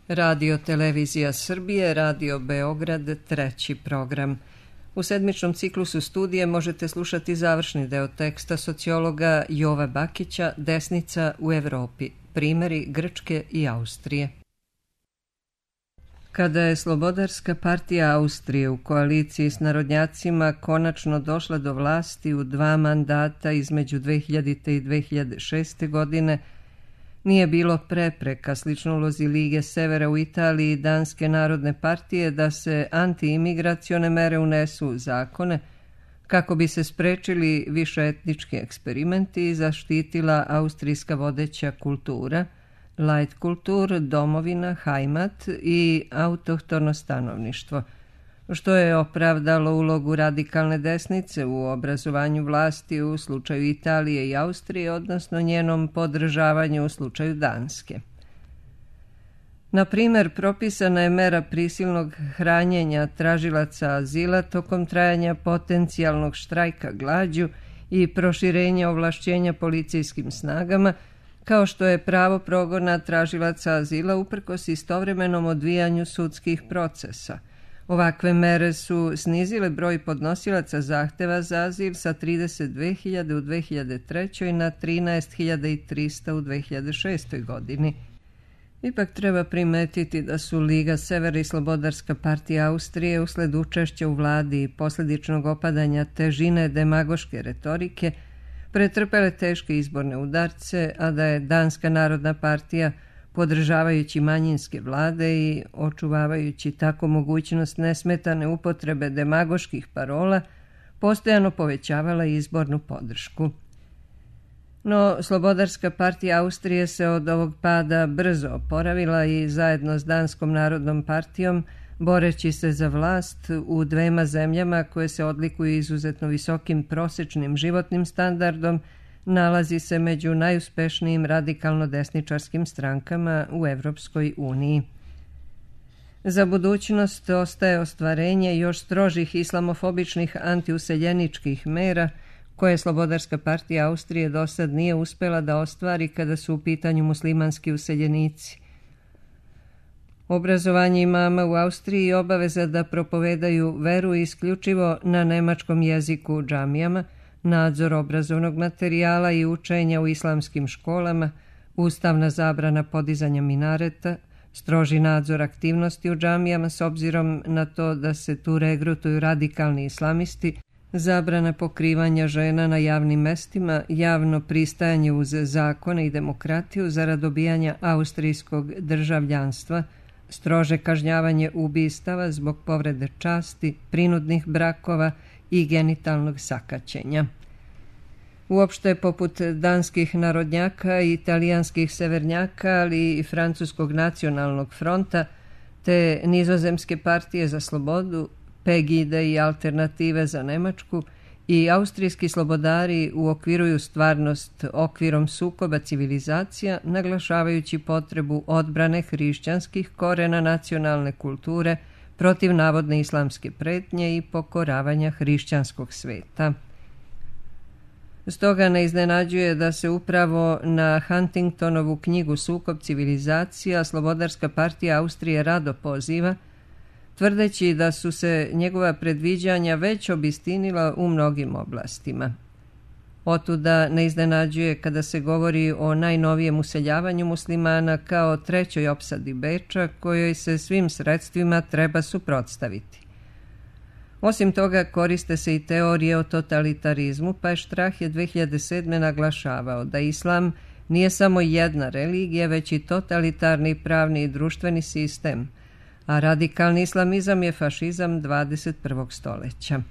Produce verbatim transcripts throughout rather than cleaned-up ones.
Radio Televizija Srbije, Radio Beograd, treći program. U sedmičnom ciklusu studije možete slušati završni deo teksta sociologa Jova Bakića Desnica u Evropi, primjeri Grčke i Austrije. Kada je Slobodarska partija Austrije u koaliciji s narodnjacima konačno došla do vlasti u dva mandata između dve hiljadite i dve hiljade šeste. godine, nije bilo prepreka, slično ulozi Lige Severa u Italiji i Danske narodne partije, da se antiimigracione mere unesu u zakone kako bi se sprečili višeetnički eksperimenti i zaštitila austrijska vodeća kultura, Leitkultur, domovina, Heimat i autohtono stanovništvo, što je opravdalo ulogu radikalne desnice u obrazovanju vlasti u slučaju Italije i Austrije, odnosno njenom podržavanju u slučaju Danske. Na primjer, propisana je mera prisilnog hranjenja tražilaca azila tokom trajanja potencijalnog štrajka glađu i proširenja ovlašćenja policijskim snagama, kao što je pravo progona tražilaca azila uprkos istovremenom odvijanju sudskih procesa. Ovakve mere su snizile broj podnosilaca zahteva za azil sa trideset dve hiljade u dve hiljade trećoj. na trinaest hiljada trista u dve hiljade šestoj. godini. Ipak treba primetiti da su Liga Severa i Slobodarska partija Austrije usled učešća u vladi i posljedičnog opadanja težine demagoške retorike pretrpele teške izborne udarce, a da je Danska narodna partija, podržavajući manjinske vlade i očuvavajući tako mogućnost nesmetane upotrebe demagoških parola, postojano povećavala izbornu podršku. No, Slobodarska partija Austrije se od ovog pada brzo oporavila i zajedno s Danskom narodnom partijom, boreći se za vlast u dvema zemljama koje se odlikuju izuzetno visokim prosječnim životnim standardom, nalazi se među najuspešnijim radikalno-desničarskim strankama u Evropskoj uniji. Za budućnost ostaje ostvarenje još strožih islamofobičnih antiuseljeničkih mera, koje Slobodarska partija Austrije dosad nije uspjela da ostvari kada su u pitanju muslimanski useljenici. Obrazovanje imama u Austriji i obaveza da propovedaju veru isključivo na nemačkom jeziku u džamijama, nadzor obrazovnog materijala i učenja u islamskim školama, ustavna zabrana podizanja minareta, stroži nadzor aktivnosti u džamijama s obzirom na to da se tu regrutuju radikalni islamisti, zabrana pokrivanja žena na javnim mestima, javno pristajanje uz zakone i demokratiju zarad dobijanja austrijskog državljanstva, strože kažnjavanje ubistava zbog povrede časti, prinudnih brakova i genitalnog sakaćenja. Uopšte, poput danskih narodnjaka i italijanskih severnjaka, ali i francuskog nacionalnog fronta, te nizozemske partije za slobodu, Pegide i alternative za Nemačku, i austrijski slobodari uokviruju stvarnost okvirom sukoba civilizacija, naglašavajući potrebu odbrane hrišćanskih korena nacionalne kulture protiv navodne islamske pretnje i pokoravanja hrišćanskog sveta. Stoga ne iznenađuje da se upravo na Huntingtonovu knjigu Sukob civilizacija Slobodarska partija Austrije rado poziva, tvrdeći da su se njegova predviđanja već obistinila u mnogim oblastima. Otuda ne iznenađuje kada se govori o najnovijem useljavanju muslimana kao trećoj opsadi Beča, kojoj se svim sredstvima treba suprotstaviti. Osim toga, koriste se i teorije o totalitarizmu, pa je Strahe dve hiljade sedme. naglašavao da islam nije samo jedna religija, već i totalitarni pravni i društveni sistem, a radikalni islamizam je fašizam dvadeset prvog stoljeća.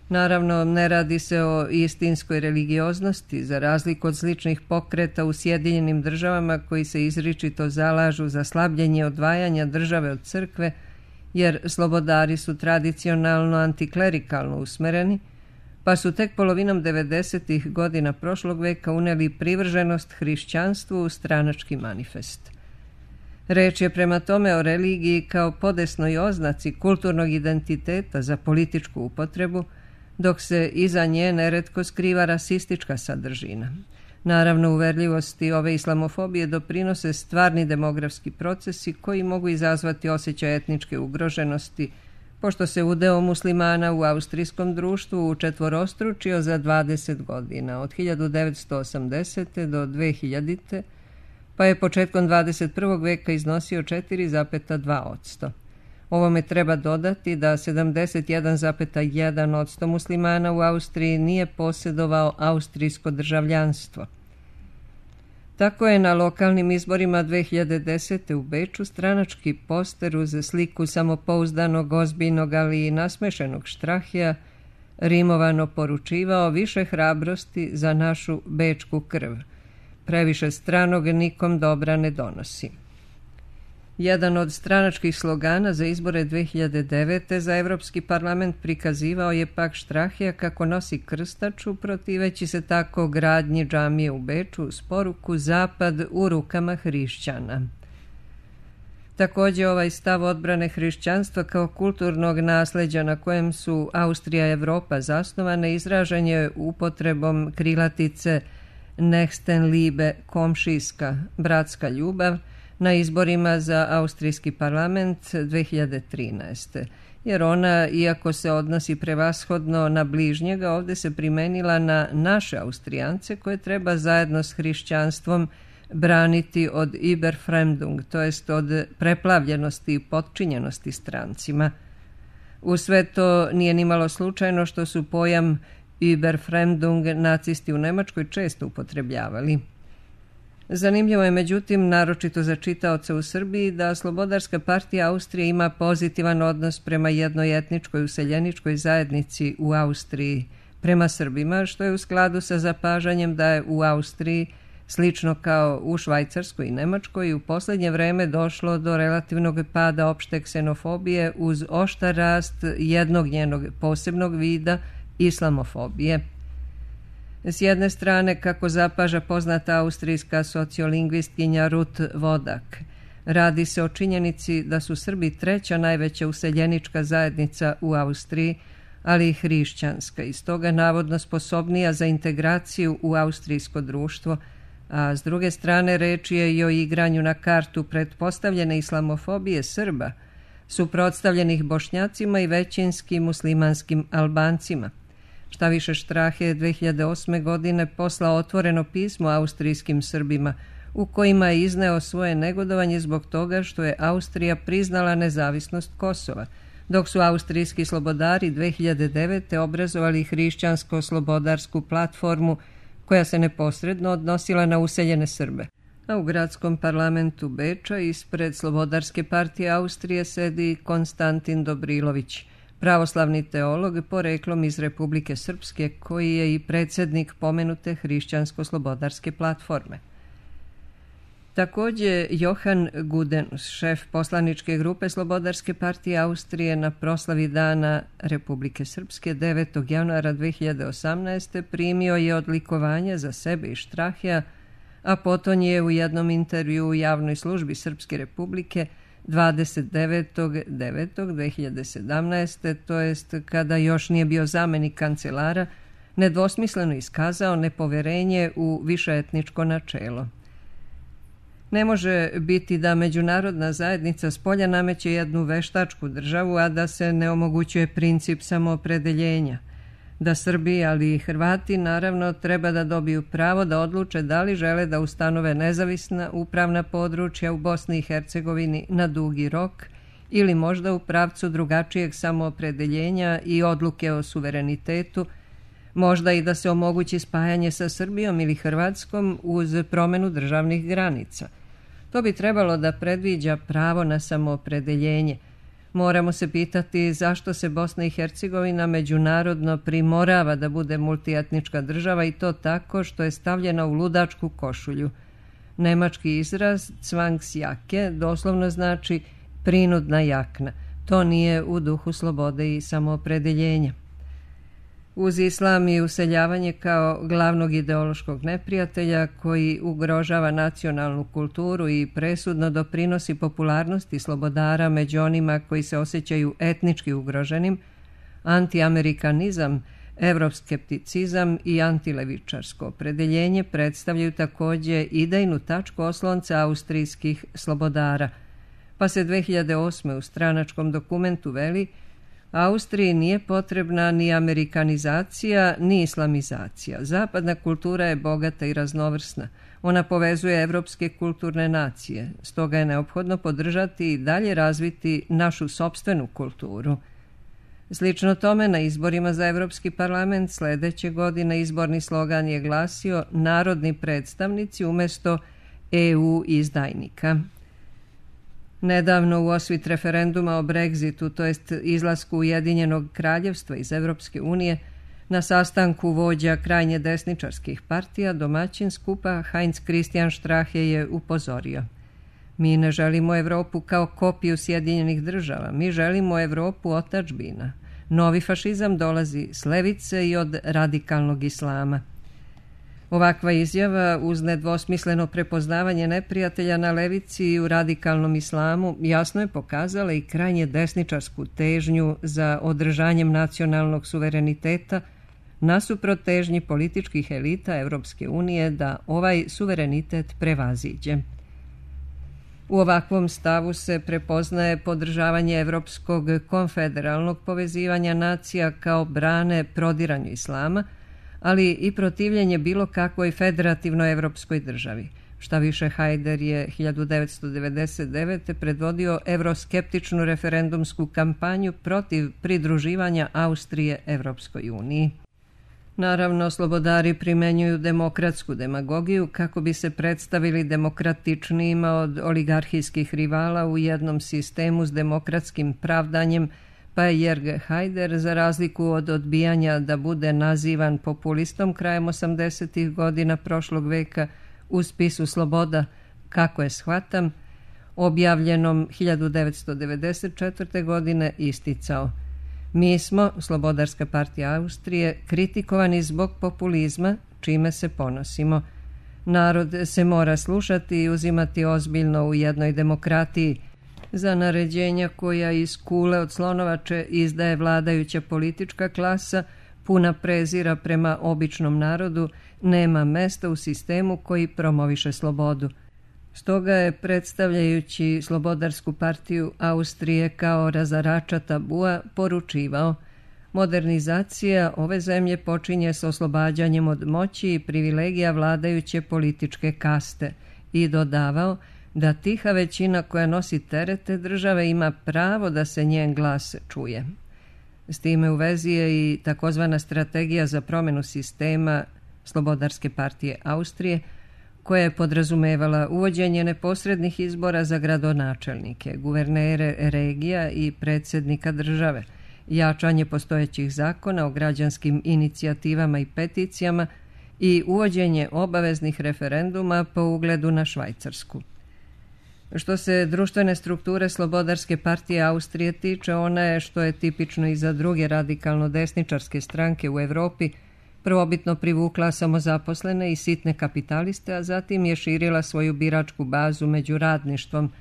Naravno, ne radi se o istinskoj religioznosti, za razliku od sličnih pokreta u Sjedinjenim državama koji se izričito zalažu za slabljenje odvajanja države od crkve, jer slobodari su tradicionalno antiklerikalno usmereni, pa su tek polovinom devedesetih godina prošlog veka uneli privrženost hrišćanstvu u stranački manifest. Reč je prema tome o religiji kao podesnoj oznaci kulturnog identiteta za političku upotrebu, dok se iza nje neretko skriva rasistička sadržina. Naravno, uverljivosti ove islamofobije doprinose stvarni demografski procesi koji mogu izazvati osjećaj etničke ugroženosti, pošto se udeo muslimana u austrijskom društvu učetvorostručio za dvadeset godina, od hiljadu devetsto osamdesete. do dve hiljadite. pa je početkom dvadeset prvog veka iznosio četiri zarez dva posto. Ovome treba dodati da sedamdeset jedan zarez jedan posto muslimana u Austriji nije posjedovao austrijsko državljanstvo. Tako je na lokalnim izborima dve hiljade desete. u Beču stranački poster uz sliku samopouzdanog, ozbiljnog, ali i nasmešenog Štrahija rimovano poručivao više hrabrosti za našu bečku krv. Previše stranog nikom dobra ne donosi. Jedan od stranačkih slogana za izbore dve hiljade devete. za Evropski parlament prikazivao je pak Štrahija kako nosi krstaču, protiveći se tako gradnji džamije u Beču s poruku Zapad u rukama hrišćana. Također ovaj stav odbrane hrišćanstva kao kulturnog nasljeđa na kojem su Austrija i Evropa zasnovane izražen je upotrebom krilatice Nächstenliebe, komšijska, bratska ljubav, na izborima za austrijski parlament dve hiljade trinaeste. Jer ona, iako se odnosi prevashodno na bližnjega, ovdje se primenila na naše Austrijance koje treba zajedno s hrišćanstvom braniti od Überfremdung, to jest od preplavljenosti i potčinjenosti strancima. U sve to nije nimalo slučajno što su pojam Überfremdung nacisti u Njemačkoj često upotrebljavali. Zanimljivo je međutim, naročito za čitaoce u Srbiji, da Slobodarska partija Austrije ima pozitivan odnos prema jednoj etničkoj useljeničkoj zajednici u Austriji, prema Srbima, što je u skladu sa zapažanjem da je u Austriji, slično kao u Švajcarskoj i Nemačkoj, u posljednje vreme došlo do relativnog pada opšte ksenofobije uz oštar rast jednog njenog posebnog vida, islamofobije. S jedne strane, kako zapaža poznata austrijska sociolingvistkinja Ruth Wodak, radi se o činjenici da su Srbi treća najveća useljenička zajednica u Austriji, ali i hrišćanska, i stoga navodno sposobnija za integraciju u austrijsko društvo, a s druge strane reč je i o igranju na kartu pretpostavljene islamofobije Srba, suprotstavljenih Bošnjacima i većinskim muslimanskim Albancima. Šta više, Štrah je dve hiljade osme. godine poslao otvoreno pismo austrijskim Srbima u kojima je izneo svoje negodovanje zbog toga što je Austrija priznala nezavisnost Kosova, dok su austrijski slobodari dve hiljade devete. obrazovali hrišćansko-slobodarsku platformu koja se neposredno odnosila na useljene Srbe. A u gradskom parlamentu Beča ispred Slobodarske partije Austrije sedi Konstantin Dobrilović, pravoslavni teolog poreklom iz Republike Srpske, koji je i predsjednik pomenute hrišćansko-slobodarske platforme. Također Johan Gudenus, šef poslaničke grupe Slobodarske partije Austrije, na proslavi Dana Republike Srpske devetog januara dve hiljade osamnaeste. primio je odlikovanje za sebe i Štrahija, a potom je u jednom intervju u javnoj službi Srpske republike dvadeset devetog devetog dve hiljade sedamnaeste. to jest kada još nije bio zamenik kancelara, nedvosmisleno iskazao nepoverenje u višeetničko načelo. Ne može biti da međunarodna zajednica spolja nameće jednu veštačku državu, a da se ne omogućuje princip samoopredeljenja. Da Srbi, ali i Hrvati, naravno, treba da dobiju pravo da odluče da li žele da ustanove nezavisna upravna područja u Bosni i Hercegovini na dugi rok ili možda u pravcu drugačijeg samoopredeljenja i odluke o suverenitetu, možda i da se omogući spajanje sa Srbijom ili Hrvatskom uz promjenu državnih granica. To bi trebalo da predviđa pravo na samoopredeljenje. Moramo se pitati zašto se Bosna i Hercegovina međunarodno primorava da bude multietnička država, i to tako što je stavljena u ludačku košulju. Nemački izraz Zwangsjacke doslovno znači prinudna jakna. To nije u duhu slobode i samoopredeljenja. Uz islam i useljavanje kao glavnog ideološkog neprijatelja koji ugrožava nacionalnu kulturu i presudno doprinosi popularnosti slobodara među onima koji se osjećaju etnički ugroženim, antiamerikanizam Evroskepticizam i antilevičarsko opredeljenje predstavljaju također idejnu tačku oslonca austrijskih slobodara, pa se dve hiljade osme u stranačkom dokumentu veli: Austriji nije potrebna ni amerikanizacija, ni islamizacija. Zapadna kultura je bogata i raznovrsna. Ona povezuje evropske kulturne nacije, stoga je neophodno podržati i dalje razviti našu sopstvenu kulturu. Slično tome, na izborima za Evropski parlament sledeće godine izborni slogan je glasio narodni predstavnici umjesto E U izdajnika. Nedavno u osvit referenduma o Brexitu, to jest izlasku Ujedinjenog kraljevstva iz Evropske unije, na sastanku vođa krajnje desničarskih partija, domaćin skupa Heinz Christian Strache je upozorio: mi ne želimo Evropu kao kopiju Sjedinjenih država, mi želimo Evropu otadžbina. Novi fašizam dolazi s levice i od radikalnog islama. Ovakva izjava, uz nedvosmisleno prepoznavanje neprijatelja na levici i u radikalnom islamu, jasno je pokazala i krajnje desničarsku težnju za održanjem nacionalnog suvereniteta nasuprot težnji političkih elita Evropske unije da ovaj suverenitet prevaziđe. U ovakvom stavu se prepoznaje podržavanje evropskog konfederalnog povezivanja nacija kao brane prodiranju islama, ali i protivljenje bilo kakvoj federativnoj evropskoj državi. Šta više, Haider je hiljadu devetsto devedeset devete predvodio evroskeptičnu referendumsku kampanju protiv pridruživanja Austrije Evropskoj uniji. Naravno, slobodari primenjuju demokratsku demagogiju kako bi se predstavili demokratičnijima od oligarhijskih rivala u jednom sistemu s demokratskim pravdanjem, pa je Jörg Haider, za razliku od odbijanja da bude nazivan populistom krajem osamdesetih godina prošlog veka, u spisu Sloboda, kako je shvatam, objavljenom hiljadu devetsto devedeset četvrte. godine isticao: mi smo, Slobodarska partija Austrije, kritikovani zbog populizma, čime se ponosimo. Narod se mora slušati i uzimati ozbiljno u jednoj demokratiji. Za naređenja koja iz kule od slonovače izdaje vladajuća politička klasa, puna prezira prema običnom narodu, nema mesta u sistemu koji promoviše slobodu. Stoga je, predstavljajući Slobodarsku partiju Austrije kao razarača tabua, poručivao: modernizacija ove zemlje počinje s oslobađanjem od moći i privilegija vladajuće političke kaste, i dodavao da tiha većina koja nosi terete države ima pravo da se njen glas čuje. S time u vezi je i takozvana strategija za promjenu sistema Slobodarske partije Austrije, koja je podrazumevala uvođenje neposrednih izbora za gradonačelnike, guvernere regija i predsjednika države, jačanje postojećih zakona o građanskim inicijativama i peticijama i uvođenje obaveznih referenduma po ugledu na Švajcarsku. Što se društvene strukture Slobodarske partije Austrije tiče, ona je, što je tipično i za druge radikalno desničarske stranke u Evropi, prvobitno privukla samozaposlene i sitne kapitaliste, a zatim je širila svoju biračku bazu među radništvom,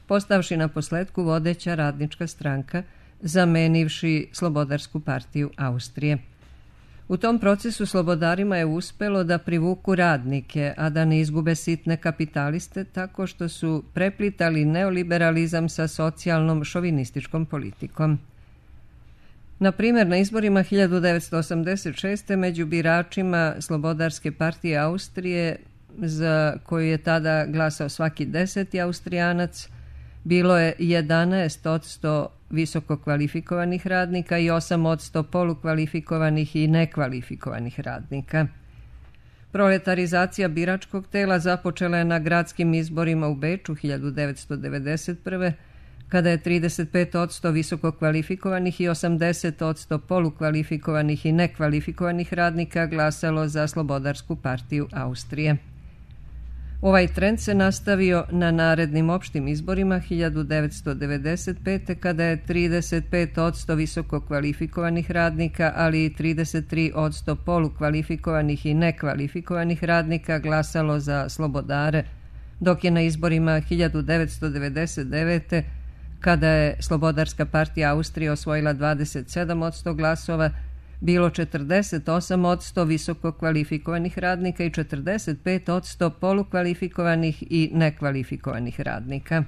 postavši na posledku vodeća radnička stranka, zamenivši Slobodarsku partiju Austrije. U tom procesu slobodarima je uspelo da privuku radnike, a da ne izgube sitne kapitaliste, tako što su preplitali neoliberalizam sa socijalnom šovinističkom politikom. Na primjer, na izborima hiljadu devetsto osamdeset šeste. među biračima Slobodarske partije Austrije, za koju je tada glasao svaki deseti Austrijanac, bilo je jedanaest posto visoko kvalifikovanih radnika i osam posto polukvalifikovanih i nekvalifikovanih radnika. Proletarizacija biračkog tela započela je na gradskim izborima u Beču hiljadu devetsto devedeset prve. kada je trideset pet posto visoko kvalifikovanih i osamdeset posto polukvalifikovanih i nekvalifikovanih radnika glasalo za Slobodarsku partiju Austrije. Ovaj trend se nastavio na narednim opštim izborima hiljadu devetsto devedeset pete. kada je trideset pet posto visoko kvalifikovanih radnika, ali i trideset tri posto polukvalifikovanih i nekvalifikovanih radnika glasalo za slobodare, dok je na izborima hiljadu devetsto devedeset devete. kada je Slobodarska partija Austrije osvojila dvadeset sedam posto glasova, bilo četrdeset osam posto visoko kvalifikovanih radnika i četrdeset pet posto polukvalifikovanih i nekvalifikovanih radnika.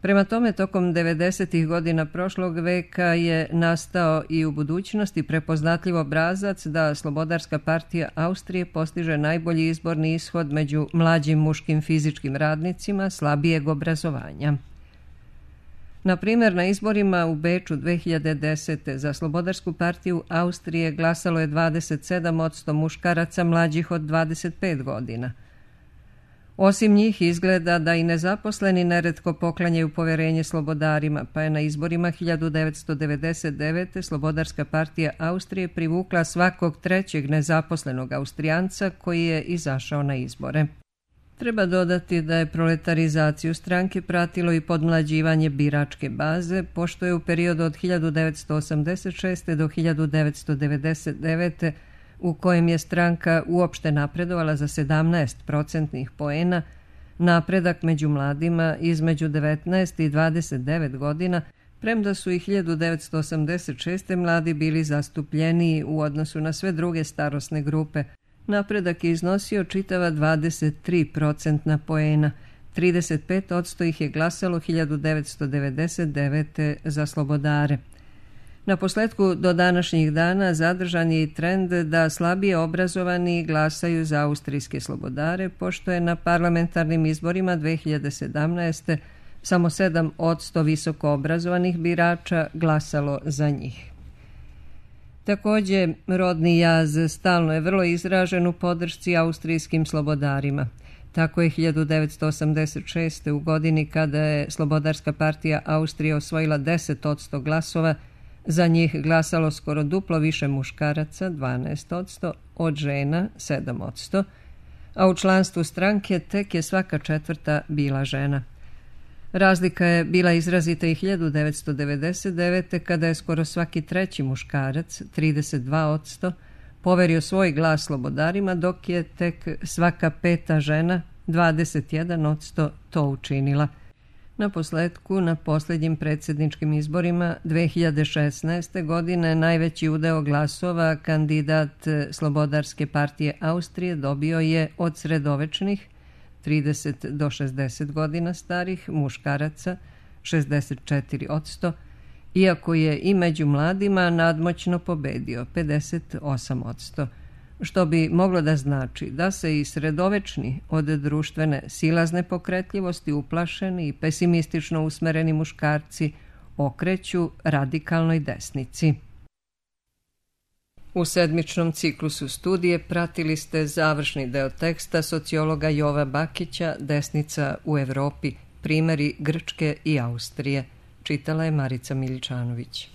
Prema tome, tokom devedesetih godina prošlog veka je nastao i u budućnosti prepoznatljiv obrazac da Slobodarska partija Austrije postiže najbolji izborni ishod među mlađim muškim fizičkim radnicima slabijeg obrazovanja. Na primjer, na izborima u Beču dve hiljade desete. za Slobodarsku partiju Austrije glasalo je dvadeset sedam posto muškaraca mlađih od dvadeset pet godina. Osim njih izgleda da i nezaposleni neretko poklanjaju poverenje slobodarima, pa je na izborima hiljadu devetsto devedeset devete. Slobodarska partija Austrije privukla svakog trećeg nezaposlenog Austrijanca koji je izašao na izbore. Treba dodati da je proletarizaciju stranke pratilo i podmlađivanje biračke baze, pošto je u periodu od hiljadu devetsto osamdeset šeste. do hiljadu devetsto devedeset devete. u kojem je stranka uopšte napredovala za sedamnaest procentnih poena, napredak među mladima između devetnaest i dvadeset devet godina, premda su i hiljadu devetsto osamdeset šeste. mladi bili zastupljeniji u odnosu na sve druge starosne grupe. Napredak je iznosio čitava dvadeset tri procentna poena, trideset pet posto ih je glasalo hiljadu devetsto devedeset devete. za slobodare. Na posletku do današnjih dana zadržan je i trend da slabije obrazovani glasaju za austrijske slobodare, pošto je na parlamentarnim izborima dve hiljade sedamnaeste. samo sedam posto visoko obrazovanih birača glasalo za njih. Također, rodni jaz stalno je vrlo izražen u podršci austrijskim slobodarima. Tako je hiljadu devetsto osamdeset šeste. u godini kada je Slobodarska partija Austrije osvojila deset posto glasova, za njih glasalo skoro duplo više muškaraca, dvanaest posto, od žena, sedam posto, a u članstvu stranke tek je svaka četvrta bila žena. Razlika je bila izrazita i hiljadu devetsto devedeset devete. kada je skoro svaki treći muškarac, trideset dva posto, poverio svoj glas slobodarima, dok je tek svaka peta žena, dvadeset jedan posto, to učinila. Na posledku, na posljednjim predsjedničkim izborima dve hiljade šesnaeste. godine najveći udeo glasova kandidat Slobodarske partije Austrije dobio je od sredovečnih, trideset do šezdeset godina starih, muškaraca, šezdeset četiri posto, iako je i među mladima nadmoćno pobedio, pedeset osam posto. Što bi moglo da znači da se i sredovečni od društvene silazne pokretljivosti uplašeni i pesimistično usmereni muškarci okreću radikalnoj desnici. U sedmičnom ciklusu studije pratili ste završni deo teksta sociologa Jova Bakića Desnica u Evropi, primjeri Grčke i Austrije. Čitala je Marica Miličanović.